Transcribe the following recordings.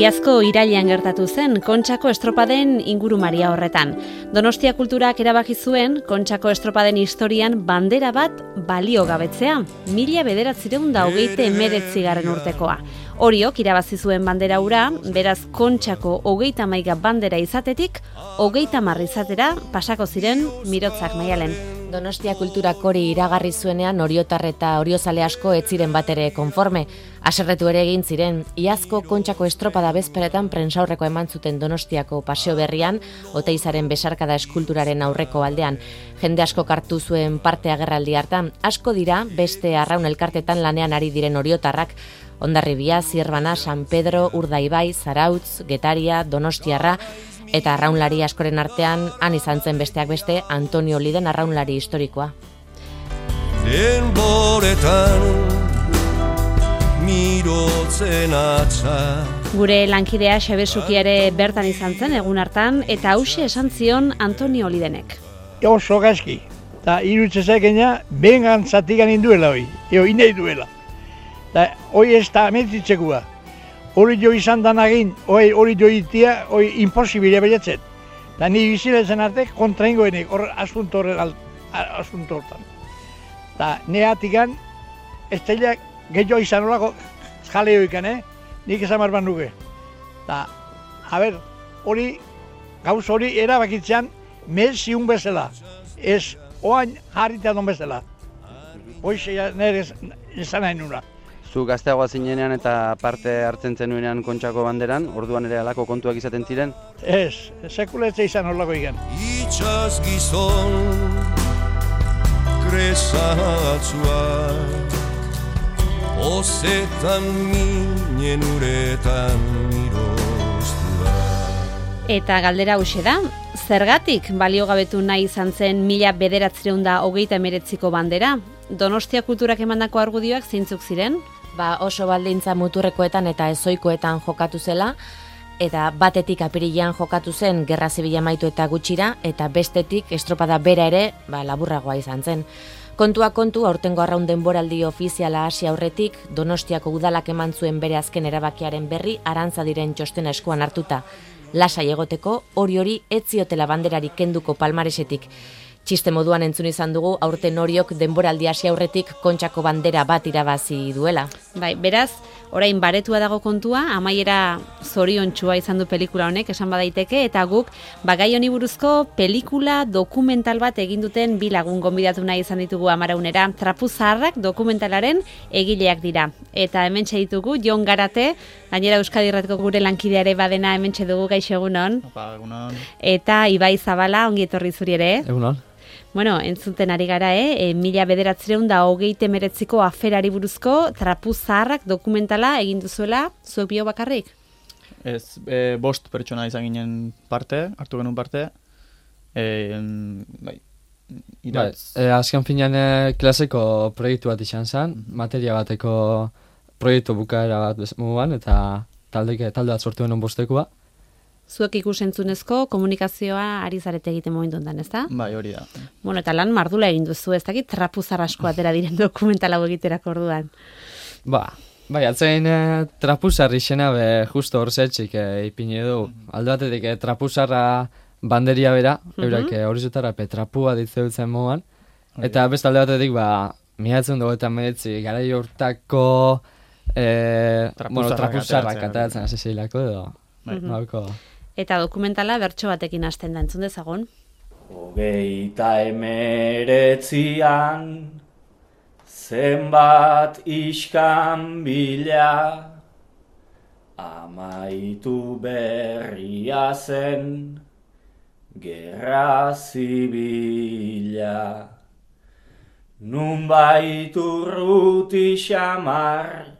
Iazko irailean gertatu zen Kontxako estropaden ingurumaria horretan. Donostia Kulturak erabaki zuen Kontxako estropaden historian bandera bat baliogabetzea, 1929 urtekoa. Oriok irabazi zuen bandera hura, beraz Kontxako 31 bandera izatetik 30 izatera pasako ziren Mirotzak Maialen. Donostia Kulturak hori iragarri zuenean oriotar eta oriozale asko ez ziren batere konforme. Haserretu ere egin ziren, iazko Kontxako estropada bezperetan prentsaurreko eman zuten Donostiako paseo berrian, Oteizaren besarkada eskulturaren aurreko aldean. Jende asko hartu zuen parte agerraldi hartan, asko dira beste arraun elkartetan lanean ari diren oriotarrak, Hondarribia, Zierbana, San Pedro, Urdaibai, Zarautz, Getaria, Donostiarra, eta arraunlari askoren artean, han izan zen besteak beste, Antonio Liden arraunlari historikoa. Denboretan mirotzen atza. Gure lankidea Xabesuki ere bertan izan zen egun hartan, eta hauxe esan zion Antonio Lidenek. Oso gaizki, eta irutzezakena bengan zatikan induela hoi, inei duela. Hoi ez da ametitzekoa. Hori jo izan danagin, hori jo itia, hori imposibile baiatzen. Da ni bizilezen arte kontraingoenek, hor asunto hortan. Da neatikan, ez teilak gehiago izan horako jaleoikan, nik esan barban nuke. Da, hori, gauz hori erabakitzean, meziun bezala, ez oain jarrita don bezala. Hoxe nire esan nahi nuna. Zu gazteagoa zinenean eta parte hartzen zenuenean Kontxako banderan, orduan ere halako kontuak izaten ziren? Ez, sekuletze izan horlako igen. Itxaz gizon kresatzuak, ozetan minen uretan miroztua. Eta galdera hauxe da, zergatik baliogabetu nahi izan zen 1929ko bandera? Donostia Kulturak emandako argudioak zeintzuk ziren? Oso baldintza muturrekoetan eta ezoikoetan jokatu zela, eta batetik apirilean jokatu zen Gerra Zibila amaitu eta gutxira, eta bestetik estropada bera ere laburragoa izan zen. Kontua kontu, aurtengo arraun denboraldi ofiziala hasi aurretik, Donostiako udalak eman zuen bere azken erabakiaren berri Arantzadiren txostena eskuan hartuta. Lasai egoteko, hori ez ziotela banderarik kenduko palmaresetik. Txiste moduan entzun izan dugu, aurten Oriok denboraldi hasi aurretik Kontxako bandera bat irabazi duela. Bai, beraz, orain baretua dago kontua, amaiera zoriontsua izan du pelikula honek, esan badaiteke, eta guk gai honi buruzko pelikula dokumental bat egin duten bi lagun gonbidatu nahi izan ditugu Amaraunera. Trapu Zaharrak dokumentalaren egileak dira. Eta hementxe ditugu, Jon Garate, gainera Euskadi Irratiko gure lankideare badena hementxe dugu, gaixo egunon. Egunon. Eta Ibai Zabala, ongi etorri zuri ere. Egunon. Bueno, entzuten ari gara, 1929ko aferari buruzko Trapu Zaharrak dokumentala egin duzuela, zuek bio bakarrik? Ez, 5 pertsona izan ginen hartu genuen parte. Azken finean klaseko proiektu bat izan zen, materia bateko proiektu bukaera bat moduan, eta talde bat sortu genuen bostekoa. Zuek ikusentzunezko komunikazioa ari zarete egiten momentu ondan, ezta? Bai, hori da. Bueno, eta lan mardula egin duzu, ez dakit Trapu Zahar asko atera diren dokumentala egiterako orduan. Bai, atzein Trapu Zahar izena justo hor zetxik ipini edo. Alde batetik Trapu Zaharra banderia bera, eurak horizotara trapua ditzeutzen moduan. Eta beste alde batetik, 1929 garai hortako Trapu Zaharrak ateratzen hasi zeilako edo. Eta dokumentala bertso batekin hasten da, entzun dezagon. 1929an zenbat iskanbila, amaitu berria zen Gerra Zibila. Nunbait urruti xamar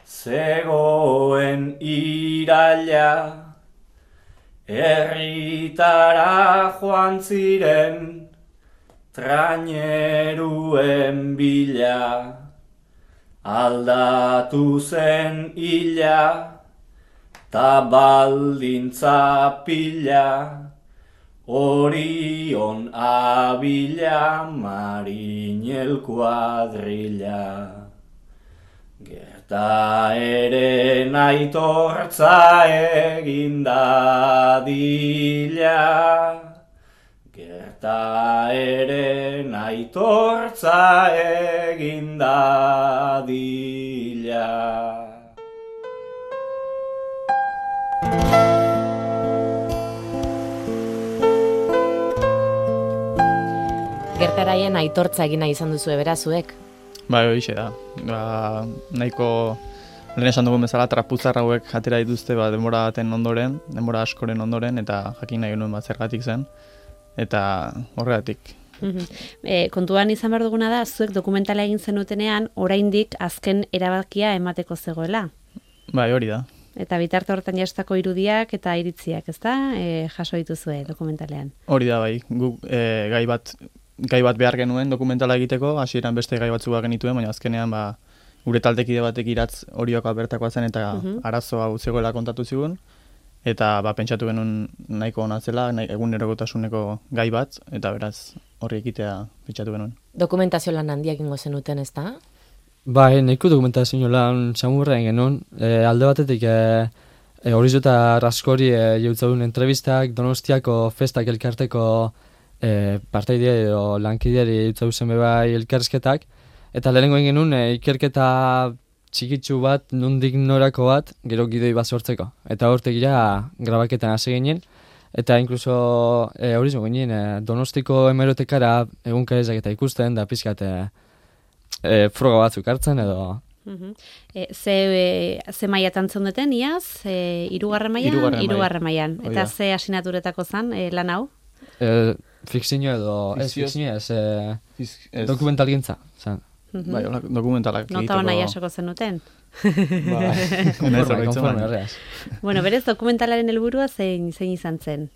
zegoen iraila, herritara joan ziren traineruen bila. Aldatu zen hila, ta baldintza pila, Orion Abila Marinel kuadrilla. ta ere aitortza egin dadila. Gerta ere aitortza egin dadila. Gertaraien aitortza egina izan duzu berazuek. Bai, horixe da. Nahiko lehen esan dugun bezala trapuzar hauek atera dituzte denbora baten ondoren, denbora askoren ondoren, eta jakin nahi genuen zergatik zen, eta horregatik. Kontuan izan behar duguna da, zuek dokumentala egin zenutenean, oraindik azken erabakia emateko zegoela. Bai, hori da. Eta bitarte horretan jastako irudiak eta iritziak, ezta? Jaso dituzue dokumentalean. Hori da, bai. Guk gai bat behar genuen dokumentala egiteko, hasieran beste gai batzuk genituen, baina azkenean gure taldekide batek iratz Oriokoa bertakoa zen eta arazo hau zegoela kontatu zigun, eta pentsatu genuen nahiko ona zela, egunerokotasuneko gai bat, eta beraz horri ekitea pentsatu genuen. Dokumentazio lan handiak ingo zenuten, ezta? Bai, nahiko dokumentazio lan samurrean genuen, alde batetik horizu eta raskori jautzadun entrevistak, Donostiako festak elkarteko parteidea edo lankideari jautzen bebai elkarrizketak, eta lehenengo egin genuen ikerketa txikitsu bat, nondik norako bat, gero gidoi bat sortzeko. Eta hortegira grabaketan hasi ginen, eta inkluso horizu ginen Donostiko hemerotekara egunkarezak eta ikusten, da pizkat froga batzuk hartzen edo... Ze mailatan zeundeten, iaz? Hirugarren mailan. Eta ze asinaturetako zen lan hau? Fikzio edo... dokumentalgintza. Bai, dokumentalak egiteko... Nota hona jasoko zenuten? Konforme horreaz. Bueno, berez dokumentalaren helburua zein izan zen?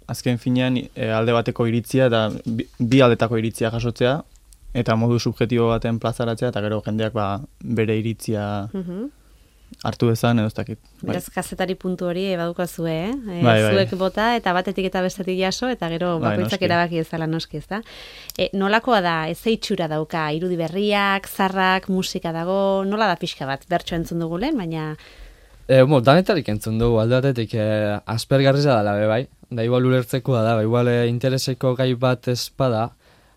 Azken finean alde bateko iritzia eta bi aldetako iritzia jasotzea, eta modu subjektibo baten plazaratzea, eta gero jendeak bere iritzia hartu dezan, edo ez dakit. Beraz, kazetari puntu hori badukazue, Bai. Zuek bota, eta batetik eta bestetik jaso, eta gero bakoitzak erabaki ezala noski, ezta? Nolakoa da, ez itxura dauka, irudi berriak, zarrak, musika dago, nola da pixka bat, bertso entzun dugu lehen, baina... Danetarik entzun dugu, alde batetik aspergarriza dela, bai, da igual ulertzekoa da, igual intereseko gai bat espada,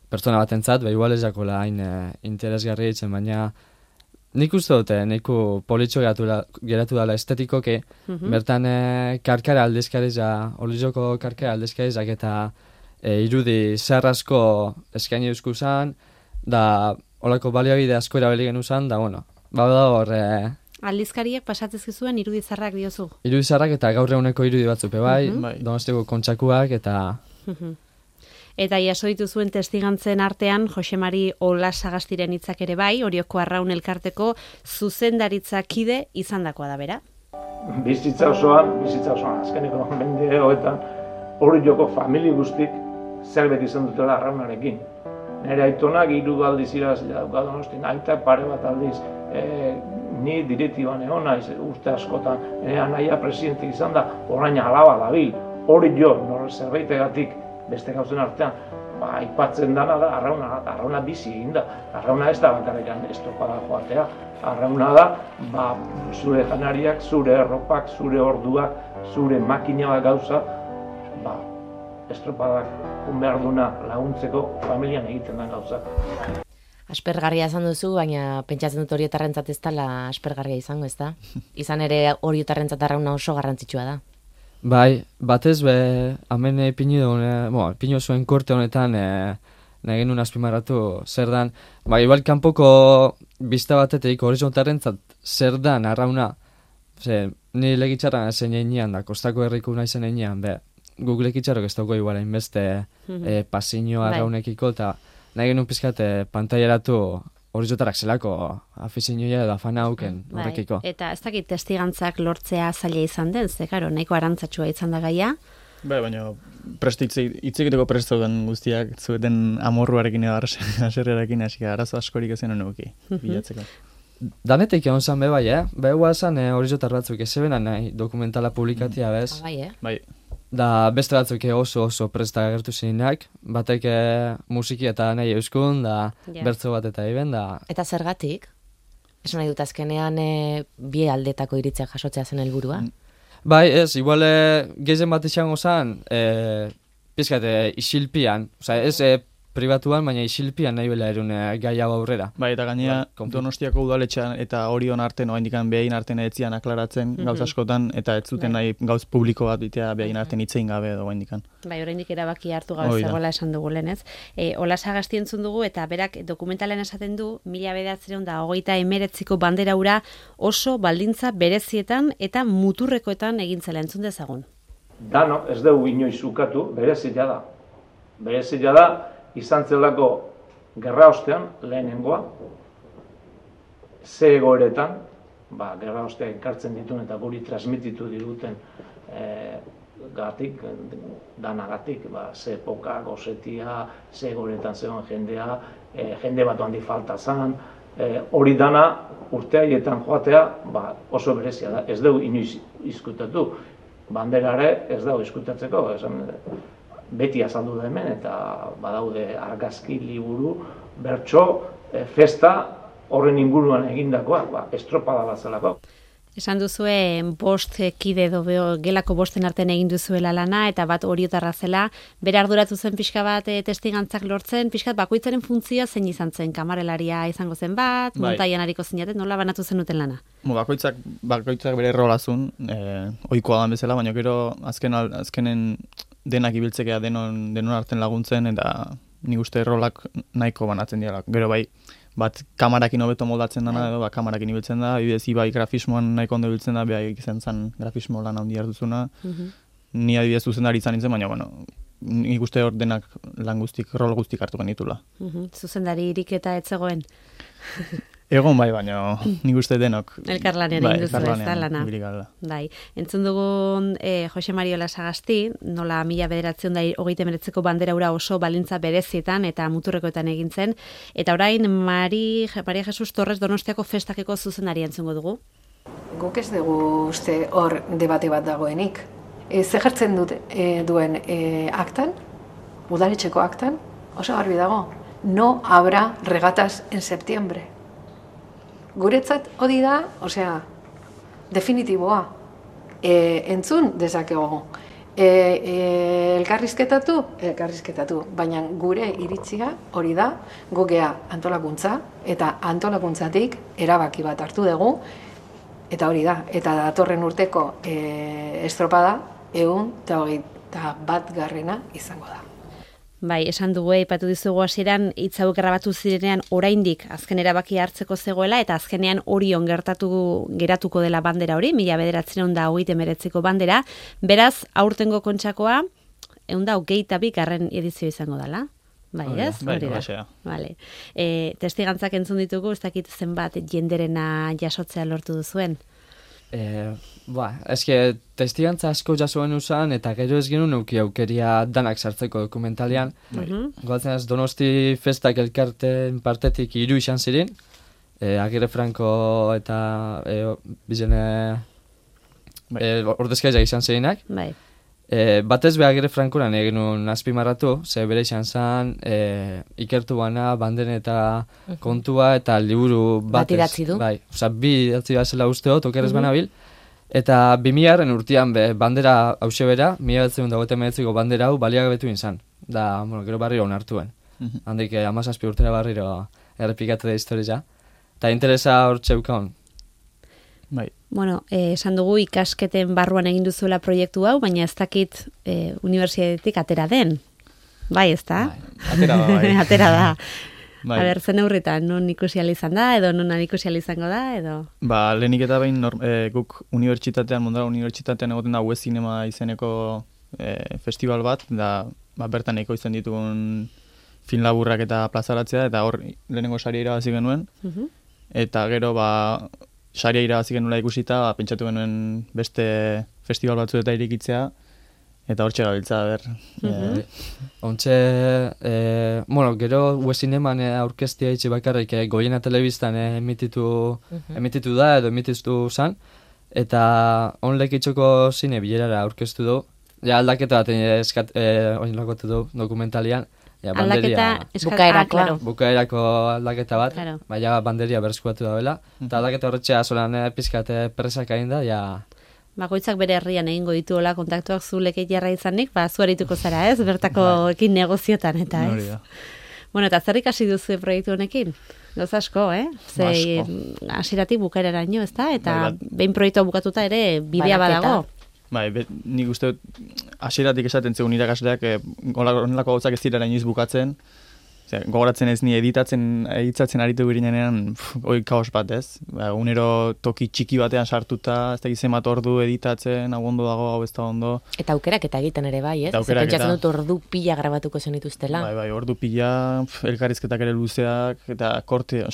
pertsona batentzat, igual ez jakola hain interesgarri ditzen, baina nik uste dute, nahiko politxo geratu dela estetikoke, bertan karkara aldizkariza, Olizoko karkara aldizkarizak eta irudi zerrasko eskaini eusku zan, da olako baliabide asko erabili genu zan, da bueno, da hor... Aldizkariak pasatzezkizuen irudi zarrak diozu? Irudi zarrak eta gaur eguneko irudi batzupe bai, Donostiko kontxakuak eta... Eta jaso dituzuen testigantzen artean, Jose Mari Olasagastiren hitzak ere bai, Orioko Arraun elkarteko zuzendaritzakide izandakoa da bera. Bizitza osoan, azkeneko mende hoetan, Orioko famili guztik zerbait izan dutela Arraunarekin. Nire aitonak 3 aldiz irabazlea dauka Donostin, aitak pare bat aldiz, ni direktiban egon naiz urte askotan, anaia presidente izan da, orain alaba dabil, Orio zerbaitegatik beste gauzen artean, aipatzen dana da Arrauna bizi egin da. Arrauna ez da bakarrikan estropada joatea. Arrauna da, zure janariak, zure erropak, zure orduak, zure makina gauza, estropadak behar duna laguntzeko familian egiten da gauza. Aspergarria izan duzu, baina pentsatzen dut Oriotarrentzat ez dela aspergarria izango, ez da? Izan ere Oriotarrentzat Arrauna oso garrantzitsua da. Bai, batez hemen ipini zuen korte honetan nahi genuen azpimarratu zer dan. Igual kanpoko bizta batetik Horizontarrentzat zer dan Arrauna. Ni legitxarra zen einean da, kostako herriko nahi zen einean, guk legitxarrok ez dauko igual hainbeste pasiño Arraunekiko, eta nahi genuen pizkat pantailaratu Horizontarrak zelako afizinoia edo afana hauken horrekiko. Eta ez dakit testigantzak lortzea zaila izan den, ze karo, nahiko arantzatxua izan da gaia. Baina hitzekiteko presto den guztiak zueten amorruarekin edo aserrearekin hasi arazo askorik ezen honuki bilatzeko. Danetik egon zan bai, Begoa zan Horizontar batzuk ezebena nahi dokumentala publikatia bez. Bai. Da beste batzuk oso presta agertu zirenak, batek musiki eta nahi euskun, da bertzo bat eta iben, da... Eta zergatik? Esan nahi dut azkenean bi aldetako iritziak jasotzea zen helburua. Bai, ez, igual gehien bat izango zen, pizkat isilpian, ez pribatuan, baina isilpian nahi bela erun gai hau aurrera. Bai, eta gainera Donostiako udaletxean eta Orion arten, oraindikan behin arten etzian aklaratzen gauz askotan, eta ez zuten nahi gauz publiko bat bitea behin arten hitzein gabe edo oraindikan. Bai, oraindik erabaki hartu gabe zegoela esan dugu lehen, ez? Ola Sagasti entzun dugu eta berak dokumentalean esaten du 1929ko bandera hura oso baldintza berezietan eta muturrekoetan egin zela, entzun dezagun. Dano, ez dugu inoiz ukatu, berezia da. Berezia da, izan zelako gerra ostean, lehenengoa, ze egoeretan, gerra ostea ekartzen dituen eta guri transmititu diguten danagatik, ze epoka, gozetia, ze egoeretan zegoen jendea, jende bat handi falta zan, hori dana urteaietan joatea oso berezia da, ez dugu inoiz izkutatu, banderare ez dago izkutatzeko, beti azaldu da hemen, eta badaude argazki, liburu, bertso, festa, horren inguruan egindakoa, estropada bat zelako. Esan duzue, 5 kide edo gelako 5 artean egin duzuela lana, eta bat oriotarra zela, bere arduratu zen pixka bat testigantzak lortzen, pixkat bakoitzaren funtzioa zein izan zen, kamarelaria izango zen bat, montaian hariko zinaten, nola banatu zenuten lana? Bakoitzak bere rolazun, ohikoa dan bezala, baina gero azkenen denak ibiltzekea denon arten laguntzen, eta nik uste rolak nahiko banatzen dira. Gero bai, bat kamarakin hobeto moldatzen dana, edo kamarakin ibiltzen da, ibidez ibai grafismoan nahiko ondo ibiltzen da, behar izan zen grafismo lan handi hartuzuna. Ni adibidez zuzendari izan nintzen, baina, nik uste hor denak lan guztik, rol guztik hartu genitula. Zuzendari irik eta etzegoen? Egon bai, baina nik uste denok. Elkarlanean egin duzu ez da lana. Bai, entzun dugun Jose Mari Ola Sagasti, nola 1939ko bandera hura oso balintza berezietan eta muturrekoetan egin zen, eta orain Maria Jesus Torres Donostiako festakeko zuzendari entzungo dugu. Guk ez dugu uste hor debate bat dagoenik. Ze jartzen duen aktan, udaletxeko aktan, oso garbi dago, no habrá regatas en septiembre. Guretzat hori da, definitiboa. Entzun dezakegu. Elkarrizketatu, baina gure iritzia hori da, gogea antolakuntza, eta antolakuntzatik erabaki bat hartu dugu, eta hori da, eta datorren urteko estropada 121 izango da. Bai, esan dugu, aipatu dizugu hasieran hitz hauek grabatu zirenean oraindik azken erabaki hartzeko zegoela eta azkenean Orion geratuko dela bandera hori, 1939ko bandera. Beraz, aurtengo Kontxakoa 122. edizio izango dela. Bai, ez? Bai, vale. Testigantzak entzun ditugu, ez dakit zenbat jenderena jasotzea lortu duzuen. Eske testigantza asko jasuen usan, eta gero ez genuen euki aukeria danak sartzeko dokumentalian. Goatzen ez, Donosti festak elkarten partetik 3 izan ziren, Agirre Franco eta bizene ordezkaiak izan zirenak. Batez be Agirre Frankoran egin nuen azpimarratu, ze bere izan zen ikertu bana, banden eta kontua eta liburu bat idatzi du. Bai, bi idatzi bat zela usteot, okerrez banabil. Eta 2000 urtean bandera hause bera, 1929ko bandera hau baliagabetu izan. Da, gero barriro onartuen. Handik 17 urtera barriro errepikatu da historia. Eta interesa hor txeukaun. Bai. Esan dugu ikasketen barruan egin duzuela proiektu hau, baina ez dakit unibertsitatetik atera den. Bai, ez da? Atera da, bai. Atera da. A ber, zen aurretan, non ikusi izan da, edo non ikusi izango da, edo? Lehenik eta behin guk unibertsitatean, Mondara unibertsitatean egoten da Web Cinema izeneko festival bat, da bertan eko izan ditugun film laburrak eta plazaratzea, eta hor lehenengo saria irabazi genuen, eta gero saria irabazi genuela ikusita, pentsatu genuen beste festival batzu eta irikitzea, eta hor txegabiltza, Ontxe, gero Web Cineman aurkeztia itxe bakarrik Goiena Telebistan emititu da, edo emititu zan, eta onlek itxoko zine bilerara aurkeztu du, aldaketa bat oin lakotu du dokumentalian, ja, Aldaketa bukaerakoa. bukaerako aldaketa bat, Claro. baina banderia berreskuratu da eta aldaketa horretxea solan pizkate presak egin da, ja... Bakoitzak bere herrian egingo dituela kontaktuak zu lekeiarra izanik, zu arituko zara, ez? Bertakoekin negoziotan, eta ez? Hori da. Bueno, eta zer ikasi duzu proiektu honekin? Gauza asko, Ze hasieratik bukaeraraino, ez da? Eta behin proiektua bukatuta ere bidea badago. Bai, nik uste dut hasieratik esaten zegoen irakasleak honelako gauzak ez direla inoiz bukatzen. Gogoratzen ez ni editatzen aritu girenean hoi kaos bat, ez? Unero toki txiki batean sartuta, ez da zenbat ordu editatzen, hau ondo dago, hau ez da ondo. Eta aukerak eta egiten ere bai, ez? Pentsatzen dut ordu pila grabatuko zenituztela. Bai, ordu pila, elkarrizketak ere luzeak, eta korte,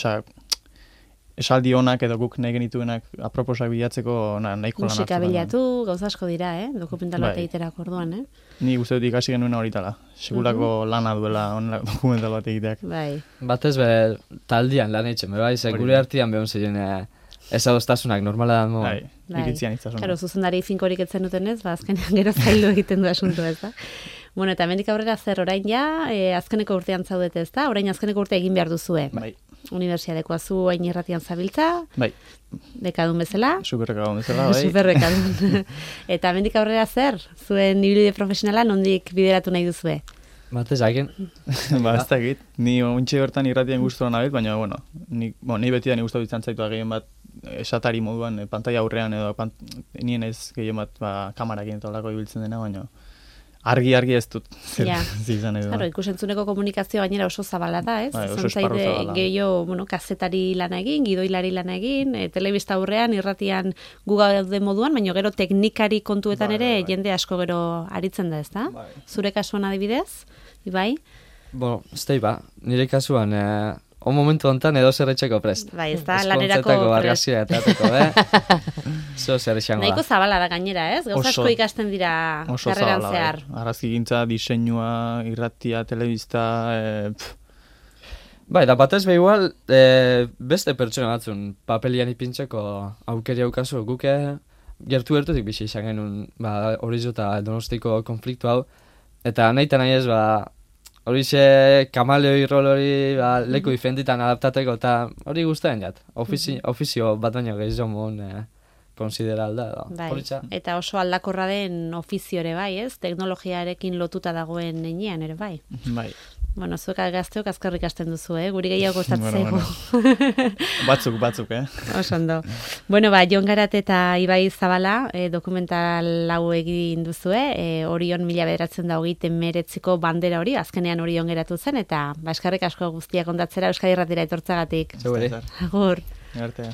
esaldi honak edo guk nahi genituenak aproposak bilatzeko nahiko lan hartu. Musika bilatu, gauza asko dira, dokumental bat egiterak orduan, Ni uste dut ikasi genuen horitala. Segurako lana duela dokumental bat egiteak. Bai. Batez be taldian lan eitzen, bai, gure artean behon ziren ezadostasunak normala da mo. Bai, iritzian itzasuna. Claro, zuzendari finkorik etzen dutenez, azkenean gero zaildu egiten du asunto, ez da? Bueno, eta hemendik aurrera zer orain ja, azkeneko urtean zaudete, ez da? Orain azkeneko urte egin behar duzue. Bai. Unibertsiadekoa zu hain irratian zabiltza. Bai. Bekadun bezala. Superrekadun bezala, bai. Superrekadun. Eta hemendik aurrera zer? Zuen ibilbide profesionala nondik bideratu nahi duzue? Batez hakin. Ez dakit. Ni ontxe bertan irratian guztuan nabil, baina, ni beti da ni guztu ditzen zaitu gehien bat esatari moduan, pantalla aurrean edo nien ez gehien bat kamarakin eta olako ibiltzen dena, baina argi ez dut zer izan edo. Claro, ikusentzuneko komunikazio gainera oso zabala da, ez? Oso esparru zabala. Gehiago, kazetari lana egin, gidoilari lana egin, telebista aurrean, irratian gu gaude moduan, baina gero teknikari kontuetan ere jende asko gero aritzen da, ez da? Zure kasuan adibidez, Ibai? Nire kasuan, momentu hontan edo zer etxeko prest. Bai, ez da, lanerako prest. Argazia eta zo zer etxango da. Nahiko zabala da gainera, ez? Gauza asko ikasten dira karreran zehar. Argazki gintza, diseinua, irratia, telebista... Bai, da batez be igual, beste pertsona batzun papelian ipintzeko aukeri aukazu, guke gertutik bizi izan genuen Horizo eta Donostiko konfliktu hau, eta nahi ez, horixe kamaleoi rol hori leku diferentitan adaptateko, eta hori guztaren jat. Ofizio bat baino gehiago mon konsideralda. Bai, eta oso aldakorra den ofizio ere bai, ez? Teknologiarekin lotuta dagoen nenean ere bai. Bai. Bueno, zuek gazteok azkarrik hasten duzu, guri gehiago kostatzeko. Batzuk, Oso ondo. Bueno, Jon Garat eta Ibai Zabala dokumental hau egin duzue, Orion 1929ko bandera hori, azkenean Orion geratu zen, eta eskarrik asko guztiak kontatzera Euskadi Irratira etortzagatik. Segure. Agur. Arte.